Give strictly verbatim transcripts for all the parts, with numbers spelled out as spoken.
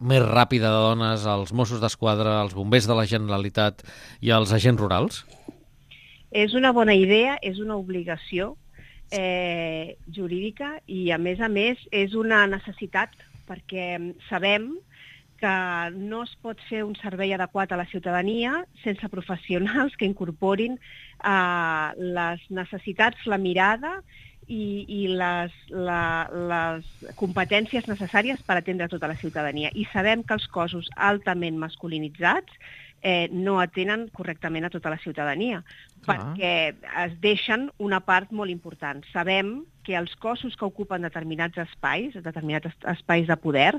més ràpida de dones als Mossos d'Esquadra, als bombers de la Generalitat i als agents rurals? És una bona idea, és una obligació eh, jurídica i, a més a més, és una necessitat perquè sabem que no es pot fer un servei adequat a la ciutadania sense professionals que incorporin eh, les necessitats, la mirada i, i les, la, les competències necessàries per atendre tota la ciutadania. I sabem que els cossos altament masculinitzats eh, no atenen correctament a tota la ciutadania, ah. perquè es deixen una part molt important. Sabem que els cossos que ocupen determinats espais, determinats espais de poder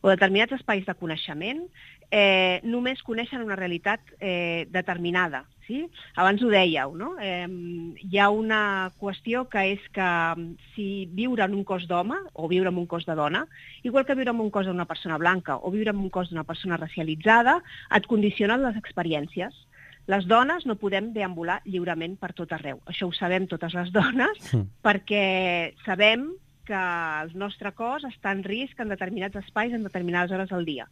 o determinats espais de coneixement, eh, només coneixen una realitat eh, determinada. Sí? Abans ho dèieu, no? Eh, hi ha una qüestió que és que si viure en un cos d'home o viure en un cos de dona, igual que viure en un cos d'una persona blanca o viure en un cos d'una persona racialitzada, et condicionen les experiències. Les dones no podem deambular lliurement per tot arreu. Això ho sabem totes les dones, sí. perquè sabem que el nostre cos està en risc en determinats espais en determinades hores del dia.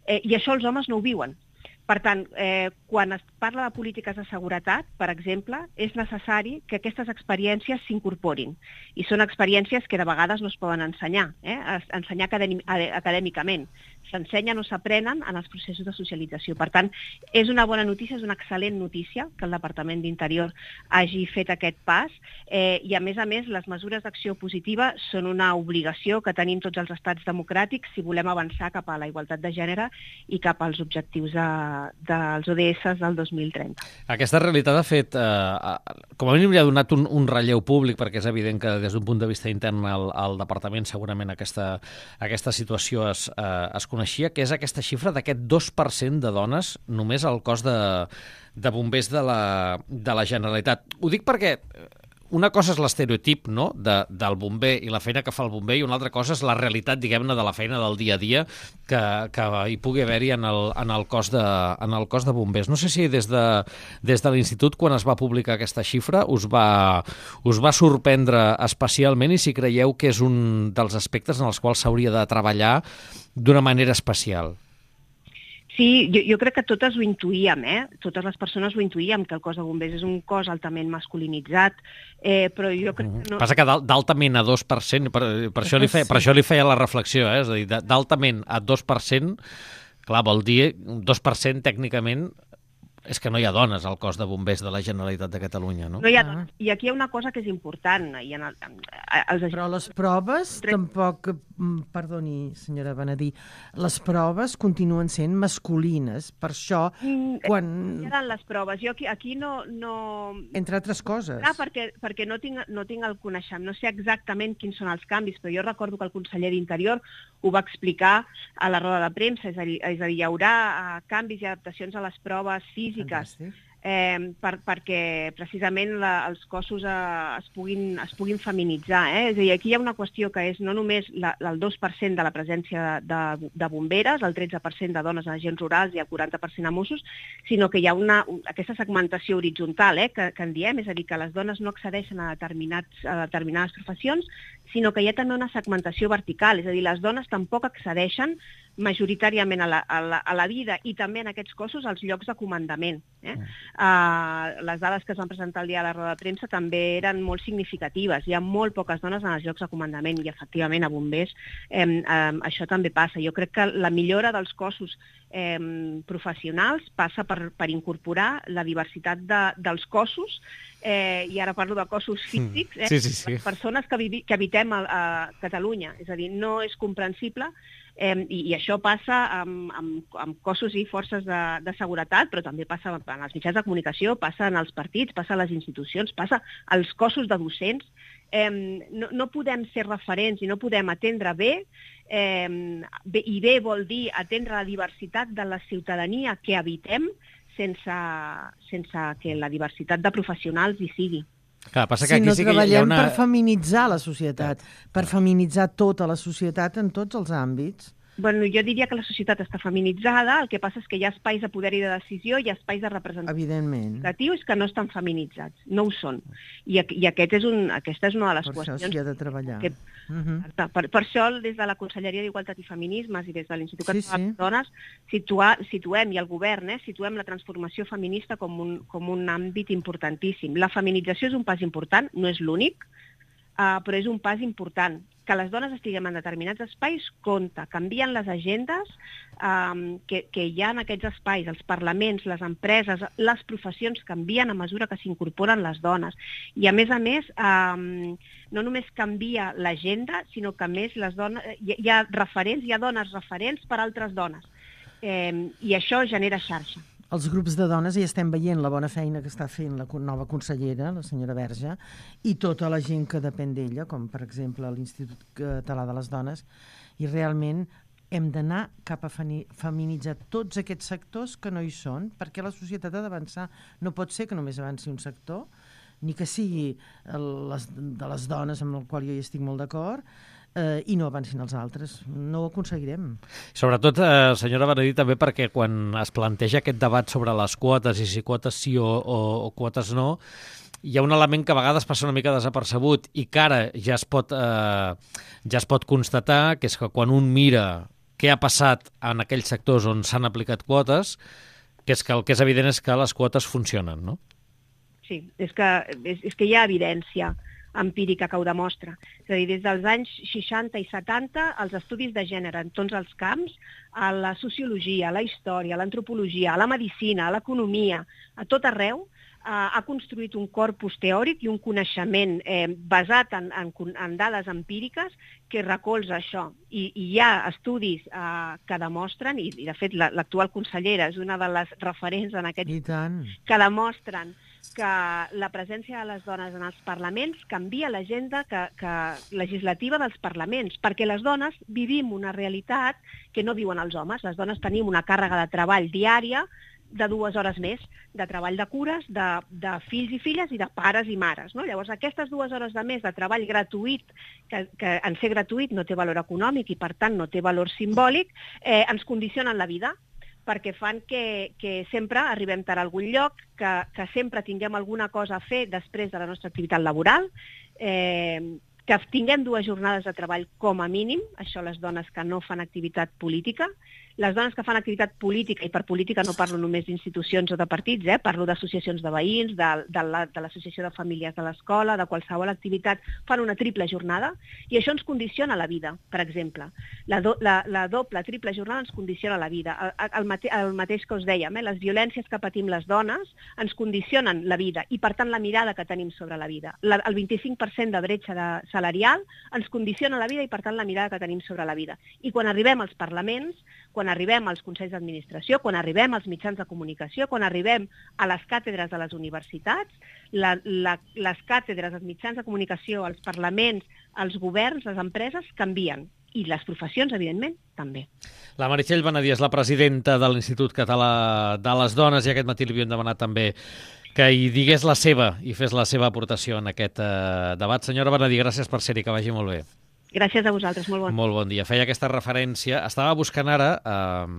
Eh, I això els homes no ho viuen. Per tant, eh, quan es parla de polítiques de seguretat, per exemple, és necessari que aquestes experiències s'incorporin. I són experiències que de vegades no es poden ensenyar, eh? ensenyar acadèmicament. S'ensenyen o s'aprenen en els processos de socialització. Per tant, és una bona notícia, és una excel·lent notícia que el Departament d'Interior hagi fet aquest pas eh, i, a més a més, les mesures d'acció positiva són una obligació que tenim tots els estats democràtics si volem avançar cap a la igualtat de gènere i cap als objectius de dels O D S del dos mil trenta. Aquesta realitat ha fet, eh, com a mínim li ha donat un, un relleu públic, perquè és evident que des d'un punt de vista intern al, al departament segurament aquesta, aquesta situació es, eh, es coneixia, que és aquesta xifra d'aquest dos per cent de dones només al cos de, de bombers de la, de la Generalitat. Ho dic perquè una cosa és l'estereotip, no?, de, del bomber i la feina que fa el bomber, i una altra cosa és la realitat, diguem-ne, de la feina del dia a dia que, que hi pugui haver-hi en, el, en, el cos de, en el cos de bombers. No sé si des de, des de l'Institut, quan es va publicar aquesta xifra, us va, us va sorprendre especialment i si creieu que és un dels aspectes en els quals s'hauria de treballar d'una manera especial. Sí, jo, jo crec que totes ho intuïem, eh? Totes les persones ho intuïem, que el cos de bombers és un cos altament masculinitzat, eh, però jo crec que no... Passa que d'altament a dos per cent, per, per, això li feia, per això li feia la reflexió, eh? És a dir, d'altament a dos per cent, clar, vol dir dos per cent tècnicament és que no hi ha dones al cos de bombers de la Generalitat de Catalunya, no? No hi ha dones. I aquí hi ha una cosa que és important. I en el, en, els... Però les proves tampoc... Perdoni, senyora Benedí, les proves continuen sent masculines. Per això, quan... Hi ha les proves. Jo aquí, aquí no, no... Entre altres coses. Clar, perquè, perquè no, tinc, no tinc el coneixement. No sé exactament quins són els canvis, però jo recordo que el conseller d'Interior ho va explicar a la roda de premsa. És a dir, és a dir hi haurà uh, canvis i adaptacions a les proves físiques. Eh, per, perquè precisament la, els cossos eh, es, puguin, es puguin feminitzar. Eh? És a dir, aquí hi ha una qüestió que és no només la, el dos per cent de la presència de, de bomberes, el tretze per cent de dones a agents rurals i el quaranta per cent a Mossos, sinó que hi ha una, aquesta segmentació horitzontal eh, que, que en diem, és a dir, que les dones no accedeixen a, determinats, a determinades professions, sinó que hi ha també una segmentació vertical, és a dir, les dones tampoc accedeixen majoritàriament a la, a, la, a la vida i també en aquests cossos als llocs de comandament. Eh? Mm. Uh, les dades que es van presentar el dia de la roda de premsa també eren molt significatives. Hi ha molt poques dones en els llocs de comandament i, efectivament, a bombers eh, eh, això també passa. Jo crec que la millora dels cossos eh, professionals passa per, per incorporar la diversitat de, dels cossos eh, i ara parlo de cossos físics, eh, sí, sí, sí. les persones que, vivi, que habitem a, a Catalunya. És a dir, no és comprensible Eh, i, i això passa amb, amb, amb cossos i forces de, de seguretat, però també passa en els mitjans de comunicació, passa en els partits, passa a les institucions, passa als cossos de docents. Eh, no, no podem ser referents i no podem atendre bé, eh, bé, i bé vol dir atendre la diversitat de la ciutadania que habitem sense, sense que la diversitat de professionals hi sigui. Clar, passa que si aquí no sí que treballem hi ha una... per feminitzar la societat, per feminitzar tota la societat en tots els àmbits. Bueno, jo diria que la societat està feminitzada, el que passa és que hi ha espais de poder i de decisió, hi ha espais de representatius que no estan feminitzats, no ho són. I, i aquest és un, aquesta és una de les per qüestions... Per això s'hi ha de treballar. Que, uh -huh. per, per això, des de la Conselleria d'Igualtat i Feminismes i des de l'Institut Català sí, sí. de les Dones, situa, situem, i el govern, eh, situem la transformació feminista com un, com un àmbit importantíssim. La feminització és un pas important, no és l'únic, uh, però és un pas important. Que les dones estiguem en determinats espais, compta, canvien les agendes um, que, que hi ha en aquests espais, els parlaments, les empreses, les professions canvien a mesura que s'incorporen les dones. I a més a més, um, no només canvia l'agenda, sinó que a més les dones, hi, hi ha referents, hi ha dones referents per a altres dones. Eh, I això genera xarxa. Els grups de dones, ja estem veient la bona feina que està fent la nova consellera, la senyora Verge, i tota la gent que depèn d'ella, com per exemple l'Institut Català de les Dones, i realment hem d'anar cap a feminitzar tots aquests sectors que no hi són, perquè la societat ha d'avançar. No pot ser que només avanci un sector, ni que sigui les, de les dones, amb el qual jo hi estic molt d'acord, Eh, i no avancin els altres. No ho aconseguirem. Sobretot, eh, senyora Benedí, també perquè quan es planteja aquest debat sobre les quotes i si quotes sí o, o, o quotes no, hi ha un element que a vegades passa una mica desapercebut i que ara ja es pot, eh, ja es pot constatar, que és que quan un mira què ha passat en aquells sectors on s'han aplicat quotes, que és que el que és evident és que les quotes funcionen, no? Sí, és que, és, és que hi ha evidència empírica que ho demostra. És a dir, des dels anys seixanta i setanta, els estudis de gènere en tots els camps, a la sociologia, a la història, a l'antropologia, a la medicina, a l'economia, a tot arreu, eh, ha construït un corpus teòric i un coneixement eh, basat en, en, en dades empíriques que recolza això. I, i hi ha estudis eh, que demostren, i, i de fet l'actual consellera és una de les referents en aquest... I tant. Que demostren que la presència de les dones en els parlaments canvia l'agenda que, que legislativa dels parlaments, perquè les dones vivim una realitat que no viuen els homes. Les dones tenim una càrrega de treball diària de dues hores més, de treball de cures, de, de fills i filles i de pares i mares. No? Llavors, aquestes dues hores de més de treball gratuït, que, que en ser gratuït no té valor econòmic i, per tant, no té valor simbòlic, eh, ens condicionen la vida, perquè fan que, que sempre arribem tard a algun lloc, que, que sempre tinguem alguna cosa a fer després de la nostra activitat laboral, eh, que tinguem dues jornades de treball com a mínim, això les dones que no fan activitat política. Les dones que fan activitat política, i per política no parlo només d'institucions o de partits, eh, parlo d'associacions de veïns, de, de, la, de l'associació de famílies de l'escola, de qualsevol activitat, fan una triple jornada, i això ens condiciona la vida, per exemple. La, do, la, la doble, triple jornada ens condiciona la vida. El, el, mate, el mateix que us dèiem, eh, les violències que patim les dones ens condicionen la vida, i per tant la mirada que tenim sobre la vida. La, el vint-i-cinc per cent de bretxa de, salarial ens condiciona la vida i per tant la mirada que tenim sobre la vida. I quan arribem als parlaments, quan arribem als consells d'administració, quan arribem als mitjans de comunicació, quan arribem a les càtedres de les universitats, la, la, les càtedres, els mitjans de comunicació, els parlaments, els governs, les empreses canvien. I les professions, evidentment, també. La Meritxell Benedí és la presidenta de l'Institut Català de les Dones, i aquest matí li havíem demanat també que hi digués la seva i fes la seva aportació en aquest eh, debat. Senyora Benedí, gràcies per ser-hi, que vagi molt bé. Gràcies a vosaltres, molt bon. Molt bon dia. Feia aquesta referència. Estava buscant ara, eh,